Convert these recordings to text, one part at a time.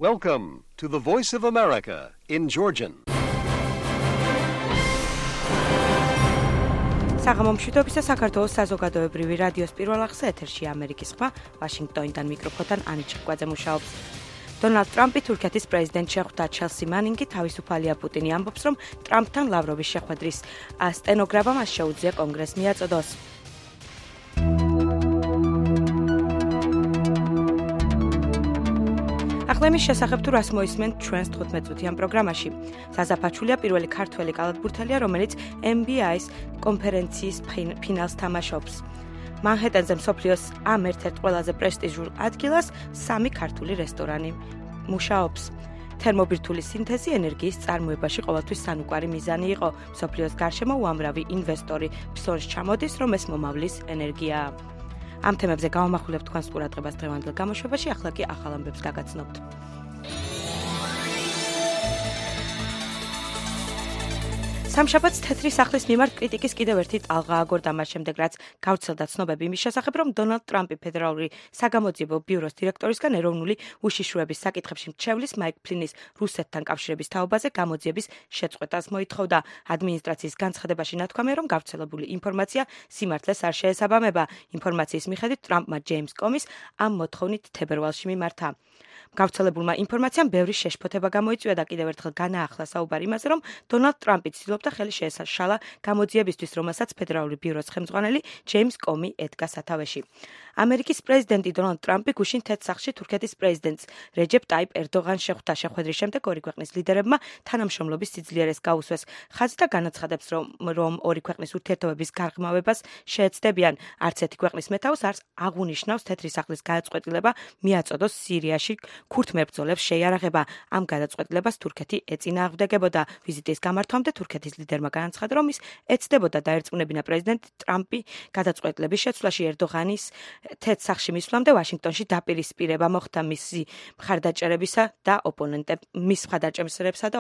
Welcome to the Voice of America in Georgian. საღამომშვიდობისა საქართველოს საზოგადოებრივი რადიოს პირველ ახსა ეთერში ამერიკის ხმა ვაშინგტონიდან მიკროფონთან ანი ჩიკვაძე მუშაობს. დონალდ ტრამპი თურქეთის პრეზიდენტ შეხვდა ჩელსი მანინგი თავისუფალია პუტინი ამბობს, რომ ტრამპთან ლავროვის შეხვედრის სტენოგრამა მას შეუძლია კონგრესს მიაწოდოს. ახლა შესახებ თუ რას მოისმენთ ჩვენს 15 წუთიან პროგრამაში. საზაფაჩულია პირველი ქართველი კალათბურთელია, რომელიც NBA-ის კონფერენციის ფინალს თამაშობს. მანჰეტენზე მსოფლიოს ამ ერთ-ერთ ყველაზე პრესტიჟულ ადგილას 3 ქართული რესტორანი მუშაობს. თერმობირთული სინთეზი ენერგიის წარმოებაში ყოველთვის სანუკვარი მიზანი იყო. მსოფლიოს გარშემო უამრავი ინვესტორი ფსონს ჩამოდის, რომ ეს მომავლის ენერგიაა. ამ თემებზე გავამახვილებთ თქვენს ყურადღებას დღევანდელ გამოშვებაში, ახლა კი ახალ ამბებს გაგაცნობთ. სამშაბათს თეთრი სახლის მიმართ კრიტიკის კიდევ ერთი ტალღა აგორდა მას შემდეგ, რაც გავრცელდა ცნობები იმის შესახებ, რომ დონალდ ტრამპი ფედერალური საგამოძიებო ბიუროს დირექტორისგან ეროვნული უშიშროების საკითხებში მრჩევლის მაიკ ფლინის რუსეთთან კავშირების თაობაზე გამოძიების შეწყვეტას მოითხოვდა. ადმინისტრაციის განცხადებაში ნათქვამია, რომ გავრცელებული ინფორმაცია სიმართლეს არ შეესაბამება. ინფორმაციის მიხედვით ტრამპმა ჯეიმს კომის ამ მოთხოვნით თებერვალში მიმართა. გავრცელებულმა ინფორმაციამ ბევრი შეშფოთება გამოიწვია და კიდევ ერთხელ განაახლა საუბარი იმაზე, რომ დონალდ ტრამპი ცდილობდა ხელი შეესაშალა გამოძიებისთვის, რომელსაც ფედერალური ბიუროს ხელმძღვანელი ჯეიმს კომი ედგა სათავეში. ამერიკის პრეზიდენტი დონალდ ტრამპი გუშინ თეთრ სახლში თურქეთის პრეზიდენტს რეჯეპ ტაიპ ერდოღანს შეხვდა. შეხვედრის შემდეგ ორი ქვეყნის ლიდერებმა თანამშრომლობის სიძლიერეს გაუსვეს. ხაზი განაცხადებს, რომ ორი ქვეყნის ურთიერთობების გარღმავებას შეეცდებიან. არც ერთი ქვეყნის მეთაურს არ აღუნიშნავს თეთრი სახლის გადაწყვეტილება მიაწოდოს სირიაში ქურთ მებრძოლებს შეიარაღება. ამ გადაწყვეტილებას თურქეთი ეწინააღმდეგებოდა. ვიზიტის გამართვამდე თურქეთის ლიდერმა განაცხადა, რომ ის ეცდებოდა დაერწმუნებინა პრეზიდენტ ტრამპი გადაწყვეტილების შეცვლაში. ერდოღანის თეთრ სახლში მისვლამდე ვაშინგტონში დაპირისპირება მოხდა მისი მხარდაჭერებისა და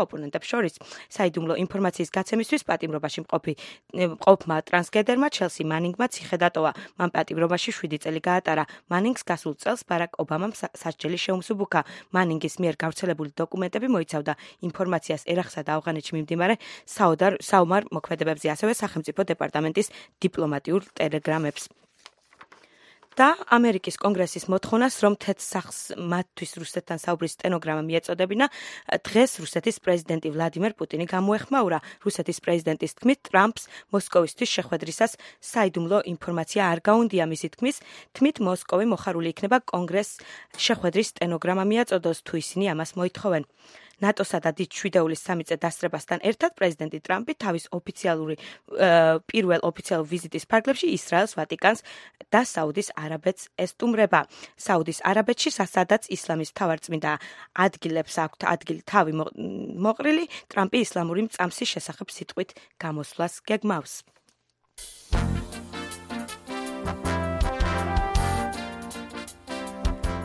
ოპონენტებს შორის. საიდუმლო ინფორმაციის გაცემისთვის პატიმრობაში მყოფმა ტრანსგენდერმა ჩელსი მანინგმა ციხე დატოვა. მან პატიმრობაში 7 წელი გაატარა. მანინგს გასულ წელს ბარაკ ობამამ სასჯელი შეუმსუბუქა. მანინგის მიერ გავრცელებული დოკუმენტები მოიცავდა ინფორმაციას ერახსა და ავღანეთში მიმდინარე საომარ მოქმედებებზე, ასევე სახელმწიფო დეპარტამენტის დიპლომატიურ ტელეგრამებს. და ამერიკის კონგრესის მოთხოვნას, რომ თეთრ სახლს მათთვის რუსეთთან საუბრის სტენოგრამა მიეწოდებინა, დღეს რუსეთის პრეზიდენტი ვლადიმერ პუტინი გამოეხმაურა. რუსეთის პრეზიდენტის თქმით, ტრამპს მოსკოვისთვის შეხვედრისას საიდუმლო ინფორმაცია არ გაუნდია. მისი თქმით, მოსკოვი მოხარული იქნება კონგრესს შეხვედრის სტენოგრამა მიაწოდოს, თუ ისინი ამას მოითხოვენ. ნატოსა და დიდ შვიდეულის სამიწე დასწრებასთან ერთად პრეზიდენტი ტრამპი თავის პირველ ოფიციალურ ვიზიტის ფარგლებში ისრაელს, ვატიკანს და საუდის არაბეთს ესტუმრება. საუდის არაბეთში, სადაც ისლამის მთავარწმინდა ადგილებს აქვთ თავი მოყრილი, ტრამპი ისლამური მწამსის შესახებ სიტყვით გამოსვლას გეგმავს.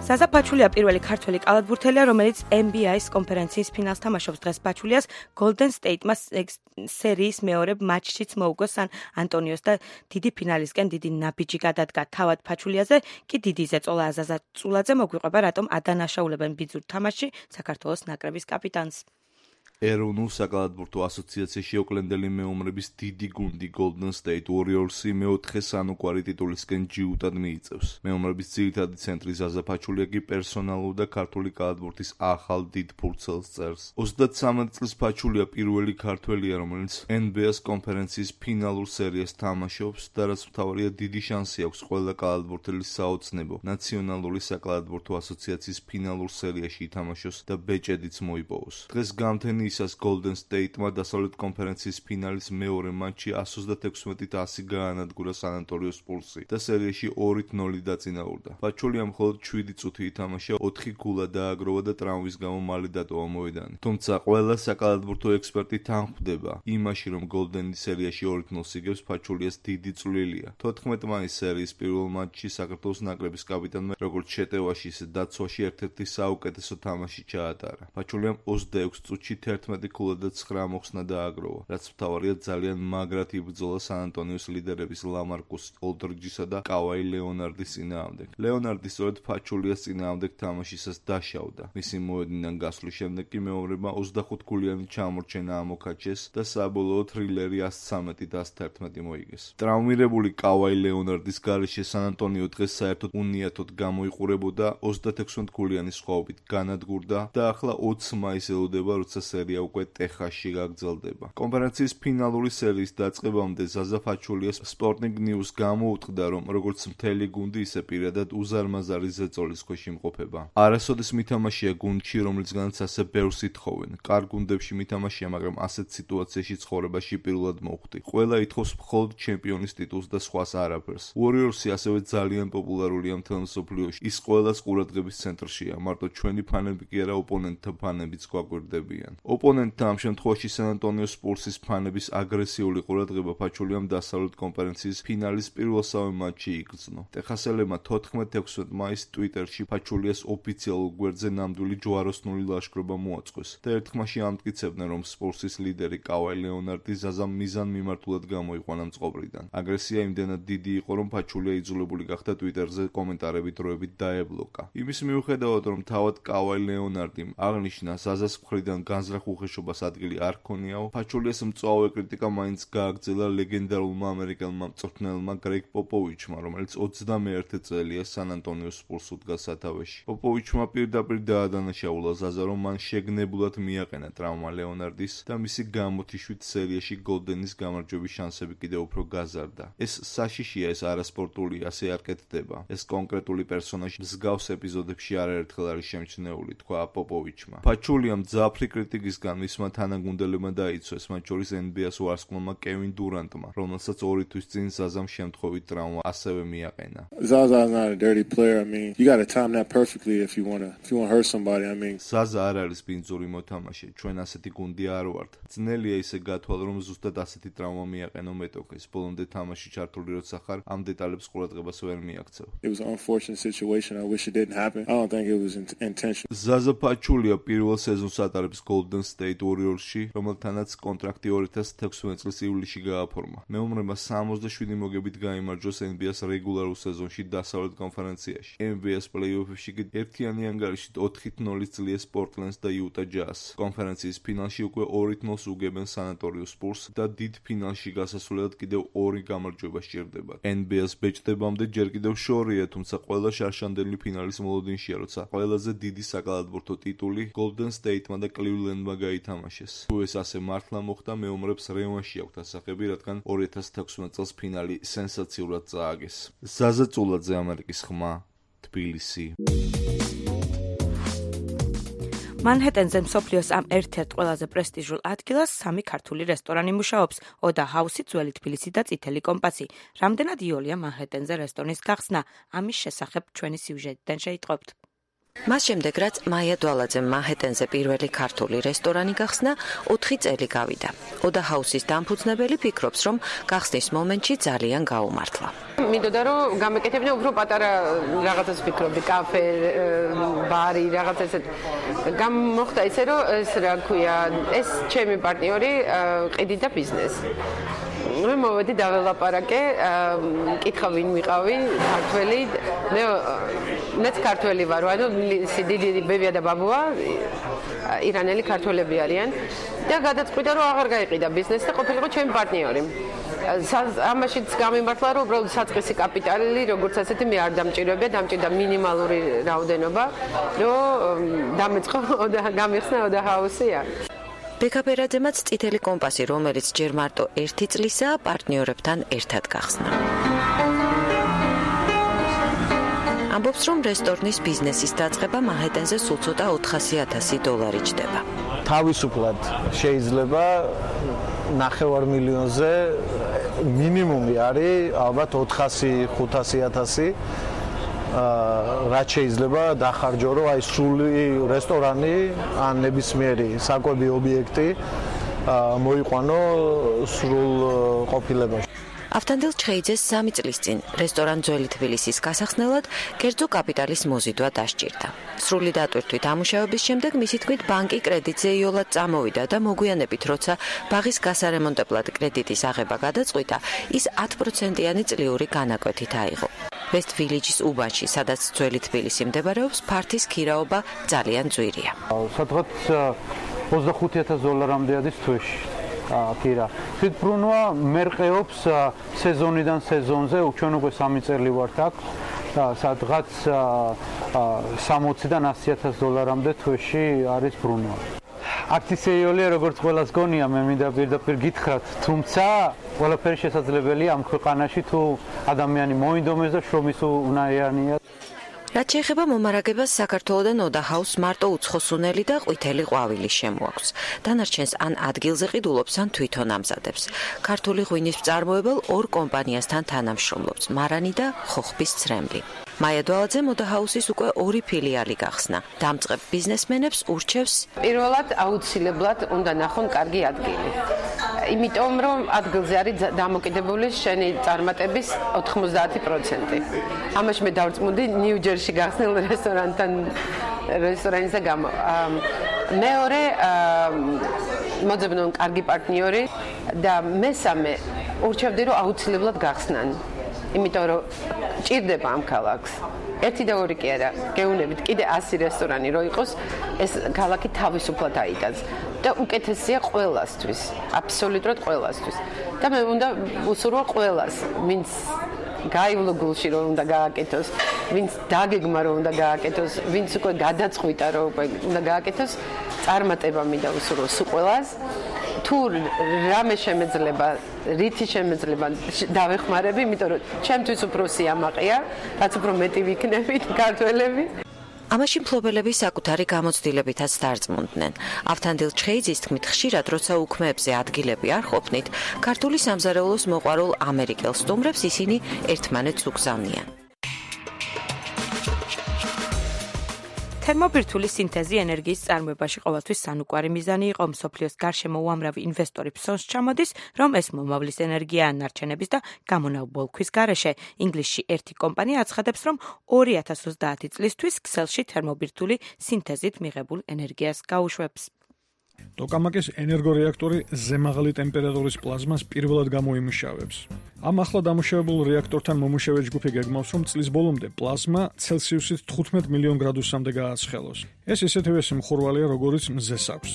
საზაფაჩულია პირველი ქართველი კალათბურთელია, რომელიც NBA-ის კონფერენციის ფინალს თამაშობს. დღეს ფაჩულიას Golden State-მა სერიის მეორე მატჩშიც მოუგო სან ანტონიოს და დიდი ფინალისკენ დიდი ნაბიჯი გადადგა. თავად ფაჩულიაზე კი დიდი ზეწოლა აზაზა წულაძე მოგვიყვება, რატომ ადანაშაულებენ ბიძურ თამაშში საქართველოს ნაკრების კაპიტანს. ეროვნულ საკალათბურთო ასოციაციაში ოკლენდელი მეომრების დიდი გუნდი Golden State Warriors-ი მეოთხე სანუკვარი ტიტულისკენ ჯიუტად მიიწევს. მეომრების ძირითადი ცენტრი ზაზა ფაჩულია კი პერსონალურ და ქართული კალათბურთის ახალ დიდ ფურცელს წერს. 33 წლის ფაჩულია პირველი ქართველია, რომელიც NBA-ს კონფერენციის ფინალურ სერიას თამაშობს და რაც მთავარია, დიდი შანსი აქვს ყველა კალათბურთელის საოცნებო ნაციონალური საკალათბურთო ასოციაციის ფინალურ სერიაში ითამაშოს და ბეჭედიც მოიპოვოს. დღეს გამთენი ისას Golden State-მა დასავლეთ კონფერენციის ფინალის მეორე მატჩი 116-10 გაანადგურა სან ანტონიოს სპურსი და სერიაში 2-0 დაწინაურდა. ფაჩულიამ მხოლოდ 7 წუთი ითამაშა, 4 გოლა დააგროვა და ტრამვის გამო მალე დატოვა მოედანი. თუმცა ყველა საკალათბურთო ექსპერტი თანხმდება იმაში, რომ Golden-ი სერიაში 2-0 იგებს ფაჩულიას დიდი წვლილია. 14 მაისის სერიის პირველ მატჩში საქართველოს ნაკრების კაპიტანმა როგორც შეტევაში, ისე დაცვაში ერთ-ერთი საუკეთესო თამაში ჩაატარა. ფაჩულიამ 26 წუთში 11-9 მოხსნა დააგროვა, რაც მთავარია ძალიან მაგრად იბრძოლა სან-ანტონიოს ლიდერების ლამარკუს ოლდრიჯისა და კავაი ლეონარდის წინააღმდეგ. ლეონარდი სწორედ ფაჩულიას წინააღმდეგ თამაშისას დაშავდა. მისი მოედნიდან გასვლის შემდეგ კი მეომრებმა 25 გოლიანი ჩამორჩენა ამოქაჩეს და საბოლოოდ თრილერი 113-111 მოიგეს. ტრაუმირებული კავაი ლეონარდის გარეშე სან-ანტონიო დღეს საერთოდ უნიათოდ გამოიყურებოდა 36 გოლიანი სხვაობით განადგურდა და ახლა 20 მაისს ელოდება, როცა სერია უკვე ტეხასში გაგრძელდება. კონფერენციის ფინალური სერიის დაწყებამდე ზაზა ფაჩულიას Sporting News გამოუტყდა, რომ როგორც მთელი გუნდი, ისე პირადად უზარმაზარი ზეწოლის ქვეშ იმყოფება. არასოდეს მითამაშია გუნდში, რომლისგანაც ასე ბევრს ითხოვენ. კარგ გუნდებში მითამაშია, მაგრამ ასეთ სიტუაციაში ცხოვრებაში პირველად მოხვდი. ყველა ითხოვს მხოლოდ ჩემპიონის ტიტულს და სხვას არაფერს. Warriors-ი ასევე ძალიან პოპულარულია მთელ მსოფლიოში. ის ყველას ყურადღების ცენტრშია. მარტო ჩვენი ფანები კი არა, ოპონენტთა ფანებიც გვაკვირდებიან. ოპონენტთა ამ შემთხვევაში სან-ანტონიო სპურსის ფანების აგრესიული ყურადღება ფაჩულიამ დასავლეთ კონფერენციის ფინალის პირველსავე მატჩში იგრძნო. ტეხასელებმა 14-16 მაისს ტვიტერში ფაჩულიას ოფიციალურ გვერდზე ნამდვილი ჯვაროსნული ლაშქრობა მოაწყვეს და ერთხმაში ამტკიცებდნენ, რომ სპურსის ლიდერი კავაი ლეონარდი ზაზამ მიზანმიმართულად გამოიყვანა მწყობრიდან. აგრესია იმდენად დიდი იყო, რომ ფაჩულია იძულებული გახდა ტვიტერზე კომენტარები დროებით დაებლოკა. იმის მიუხედავად, რომ თავად კავაი ლეონარდიმ აღნიშნა ზაზას მხრიდან განზრახ უხეშობას ადგილი არ ჰქონიაო, ფაჩულიას მწვავე კრიტიკა მაინც გააგრძელა ლეგენდარულმა ამერიკელმა მწვრთნელმა გრეგ პოპოვიჩმა, რომელიც 21 წელია სან-ანტონიო სპურს უდგას სათავეში. პოპოვიჩმა პირდაპირ დაადანაშაულა ზაზა, რომ მან შეგნებულად მიაყენა ტრავმა ლეონარდის და მისი გამოთიშვით სერიაში გოლდენის გამარჯვების შანსები კიდევ უფრო გაზარდა. ეს საშიშია, ეს არასპორტული, ასე არ კეთდება. ეს კონკრეტული პერსონაჟი მსგავს ეპიზოდებში არაერთხელ არის შემჩნეული, თქვა პოპოვიჩმა. ფაჩულიამ მძაფრი კრიტიკისგან მისმა თანაგუნდელებმა დაიცვეს, მათ შორის NBA-ს ვარსკვლავმა კევინ დურანტმა, რომელსაც 2 თვის წინ ზაზამ შემთხვევით ტრავმა ასევე მიაყენა. Zaza's not a dirty player. I mean, you got to time that perfectly if you want to hurt somebody. I mean, ზაზა არ არის ბინძური მოთამაშე. ჩვენ ასეთი გუნდი არ ვართ. ძნელია ისე გათვალ, რომ ზუსტად ასეთი ტრავმა მიაყენო მეტოქეს. ბოლომდე თამაში ჩართული როცა ხარ, ამ დეტალებს ყურადღებას ვერ მიაქცევ. It was an unfortunate situation. I wish it didn't happen. I don't think it was intentional. ზაზა ფაჩულია პირველ სეზონს ატარებს Golden State Warriors-ში, რომელთანაც კონტრაქტი 2016 წლის ივლისში გააფორმა. მეომრებმა 67 მოგებით გაიმარჯვეს NBA-ს რეგულარულ სეზონში დასავლეთ კონფერენციაში. NBA-ს პლეი-ოფებში კი ერთიანი ანგარიშით 4-0 ძლიერს Portland-ს და Utah Jazz. კონფერენციის ფინალში უკვე 2-0 უგებენ San-Antonio Spurs და დიდ ფინალში გასასვლელად კიდევ 2 გამარჯვება სჭირდებათ. NBA-ს ბეჭდებამდე ჯერ კიდევ შორია, თუმცა ყველა შარშანდელი ფინალის მოლოდინშია, როცა ყველაზე დიდი საკალათბურთო ტიტული Golden State-მა და Cleveland-მა გაითამაშეს. თუ ეს ასე მართლა მოხდა, მეომრებს რევანში აქვთ ასახები, რადგან 2016 წელს ფინალი სენსაციურად წააგეს. ზაზა წულაძე, ამერიკის ხმა, თბილისი. მანჰეტენზე მსოფლიოს ამ ერთ-ერთ ყველაზე პრესტიჟულ ადგილას 3 ქართული რესტორანი მუშაობს. ოდა ჰაუსი, ძველი თბილისი და წითელი კომპასი. რამდენად იოლია მანჰეტენზე რესტორნის გახსნა? ამის შესახებ ჩვენი სიუჟეტიდან შეიტყობთ. მას შემდეგ, რაც მაია დვალაძემ მანჰეტენზე პირველი ქართული რესტორანი გახსნა, 4 წელი გავიდა. ოდა ჰაუსის დამფუძნებელი ფიქრობს, რომ გახსნის მომენტში ძალიან გაუმართლა. მინდოდა რომ გამეკეთებინა უფრო პატარა რაღაცას ვფიქრობდი, კაფე, ბარი, რაღაც ესეთ. გამოხდა ისე რომ ეს რა ქვია, ეს ჩემი პარტნიორი ყიდი და ბიზნესი. მე მოვედი დაველაპარაკე, კითხა ვინ ვიყავი, ქართველი, მეც ქართველი ვარ, ანუ სიდილი ბებია და ბაბუა ირანელი ქართველები არიან და გადაწყვიტა რომ აღარ გაიყიდა ბიზნესი და ყოფილიყო ჩემი პარტნიორი. ამაშიც გამიმართლა რომ უბრალოდ საწყისი კაპიტალი როგორც ასეთი მე არ დამჭირებია, დამჭირდა მინიმალური რაოდენობა, რომ დამეწყო და გამიხსნა ოდა ჰაუსია. ბეკაბერაძემაც წითელი კომპასი, რომელიც ჯერ მარტო 1 წლისაა, პარტნიორებთან ერთად გახსნა. ამბობს, რომ რესტორნის ბიზნესის დაწყება მანჰეტენზე სულ ცოტა $400,000 ჯდება. თავისუფლად შეიძლება 9 მილიონზე მინიმუმი არის ალბათ 400-500,000 რაც შეიძლება დახარჯო, რომ აი სრული რესტორანი ან ნებისმიერი საკვები ობიექტი მოიყვანო სრულ ყოფილებაში. ავთანდილ ჩხეიძეს 3 წლის წინ რესტორან ძველი თბილისის გასახსნელად კერძო კაპიტალის მოზიდვა დასჭირდა. სრული დატვირთვით ამუშავების შემდეგ მისი თქმით ბანკი კრედიტზე იოლად წამოვიდა და მოგვიანებით როცა ბაღის გასარემონტებლად კრედიტის აღება გადაწყვიტა, ის 10%-იანი წლიური განაკვეთით აიღო. West Village-ის უბანში, სადაც ძველი თბილისი მდებარეობს, ფართის ქირაობა ძალიან ძვირია. სადღაც $25,000-მდე არის თვეში. ქირა. თვითბრუნვა მერყეობს სეზონიდან სეზონზე, ჩვენ უკვე 3 წელი ვართ აქ და სადღაც $60,000-დან $100,000-მდე თვეში არის ბრუნვა. აქციეოლია როგორც ყველას გონია, მე მინდა პირდაპირ გითხრათ, თუმცა ყველაფერი შესაძლებელია ამ ქვეყანაში თუ ადამიანი მოინდომეს და შრომის უნაიანია. რაც შეეხება მომარაგებას, საქართველოდან ოდაჰაუს მარტო უცხოსუნელი და ყვითელი ყვავილი შემოაქვს. დანარჩენს ან ადგილზე ყიდულობს, ან თვითონ ამზადებს. ქართული ღვინის მწარმოებელ 2 კომპანიასთან თანამშრომლობს, მარანი და ხოხბის ცრემლი. მაია დვალაძემ ოდაჰაუსის უკვე 2 ფილიალი გახსნა. დამწყებ ბიზნესმენებს ურჩევს პირველად აუცილებლად უნდა ნახონ კარგი ადგილი. იმიტომ რომ ადგილზე არის დამოკიდებული შენი წარმატების 90%. ამაში მე დავწმუნდი ნიუ-ჯერსში გახსნილ რესტორანის და გამო. მეორე მოძებნონ კარგი პარტნიორი და მესამე ურჩევდი რომ აუცილებლად გახსნან. იმიტომ რომ ჭირდება ამ ქალაქს. 1 და 2 კი არა, გეუნებით კიდე 100 რესტორანი რო იყოს, ეს ქალაქი თავისუფლად აიტანს და უკეთესია ყველასთვის, აბსოლუტურად ყველასთვის. და მე უნდა უსურვო ყველას, ვინც გაივლო გულში რომ უნდა გააკეთოს, ვინც დაგეგმა რომ უნდა გააკეთოს, ვინც უკვე გადაწყვიტა რომ უნდა გააკეთოს, წარმატება მინდა უსურვო სულ ყველას. თუ რამე შემეძლება, რითი შემეძლება დავეხმარები, იმიტომ რომ ჩემთვის უფრო სიამაყეა, რაც უფრო მეტი ვიქნებით ქართველები. ამაში მფლობელები საკუთარი გამოცდილებითაც დარწმუნდნენ. ავთანდილ ჩხეიძის თქმით, ხშირად როცა უქმეებზე ადგილები არ ყოფნით, ქართული სამზარეულოს მოყვარულ ამერიკელ სტუმრებს ისინი ერთმანეთს უგზავნიან. თერმობირთვული სინთეზი ენერგიის წარმოებაში ყოველთვის სანუკვარი მიზანი იყო. მსოფლიოს გარშემო უამრავი ინვესტორი ფსონს ჩამოდის, რომ ეს მომავლის ენერგია ანარჩენების და გამონაბოლქვის გარეშე. ინგლისში ერთი კომპანია აცხადებს, რომ 2030 წლისთვის ქსელში თერმობირთვული სინთეზით მიღებულ ენერგიას გაუშვებს. ტოკამაკის ენერგორეაქტორი ზემაღალი ტემპერატურის პლაზმას პირველად გამოიმუშავებს. ამ ახლა დამუშავებულ რეაქტორთან მომუშავე ჯგუფი გეგმავს, რომ წლის ბოლომდე პლაზმა ცელსიუსით 15 მილიონ გრადუსამდე გააცხელოს. ეს ისეთივე სიმხურვალეა, როგორიც მზეს აქვს.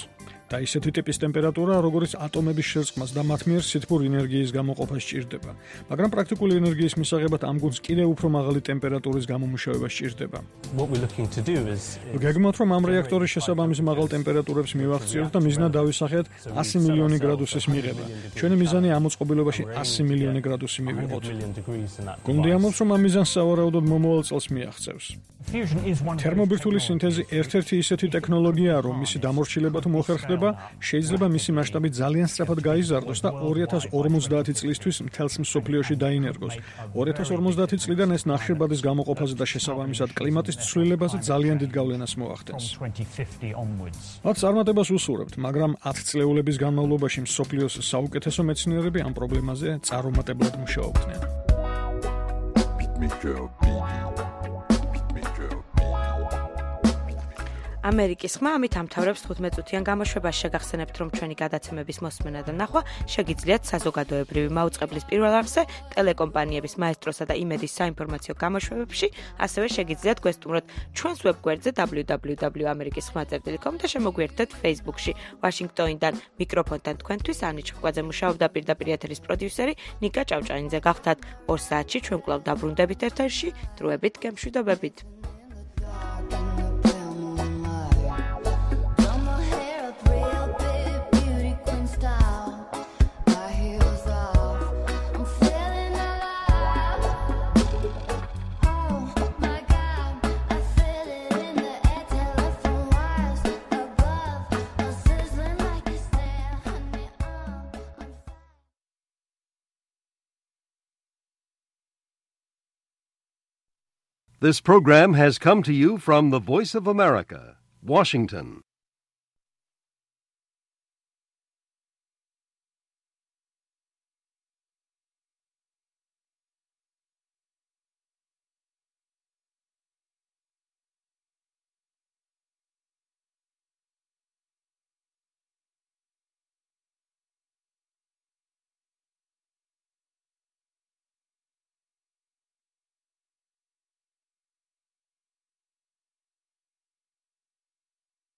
და ისეთი ტიპის ტემპერატურა, როგორც ატომების შერწყმას და მათ მიერ სითბურ ენერგიის გამოყოფას სჭირდება. მაგრამ პრაქტიკული ენერგიის მისაღებად ამ გუნდს კიდევ უფრო მაღალი ტემპერატურის გამომუშავება სჭირდება. გეგმავთ, რომ ამ რეაქტორის შესაბამის მაღალ ტემპერატურებს მივახციოთ და მიზნად დავისახეთ 100 მილიონი გრადუსის მიღება. ჩვენი მიზანი ამ მოწყობილობაში 100 მილიონი გრადუსი მივიღოთ. გუნდი ამბობს, რომ ამ მიზანს სავარაუდოდ მომავალ წელს მიაღწევს. თერმობირთვული სინთეზი ერთ-ერთი ისეთი ტექნოლოგიაა, რომ მისი დამორჩილება თუ მოხერხდება, შეიძლება მისი მასშტაბი ძალიან სწრაფად გაიზარდოს და 2050 წლისთვის მთელს მსოფლიოში დაინერგოს. 2050 წლიდან ეს ნახშირბადის გამოყოფაზე და შესაბამისად კლიმატის ცვლილებაზე ძალიან დიდ გავლენას მოახდენს. მათ წარმატებას უსურვებთ, მაგრამ 10 წლეულების განმავლობაში მსოფლიოს საუკეთესო მეცნიერები ამ პრობლემაზე წარუმატებლად მუშაობდნენ. ამერიკის ხმა ამით ამთავრებს 15 წუთიან გამოშვებას. შეგახსენებთ, რომ ჩვენი გადაცემების მოსმენა და ნახვა შეგიძლიათ საზოგადოებრივი მაუწყებლის პირველ არხზე, ტელეკომპანიების მაესტროსა და იმედის საინფორმაციო გამოშვებებში, ასევე შეგიძლიათ გვესტუმროთ ჩვენს ვებგვერდზე www.amerikisxma.com და შემოგვიერთდეთ Facebook-ში. ვაშინგტონიდან მიკროფონთან თქვენთვის ანი ჩხკვაძე მუშაობდა, პირდაპირ ეთერის პროდიუსერი ნიკა ჭავჭანიძე. გახდათ 2 საათში ჩვენ კვლავ დაბრუნდებით ეთერში. დროებით გემშვიდობებით. This program has come to you from the Voice of America, Washington.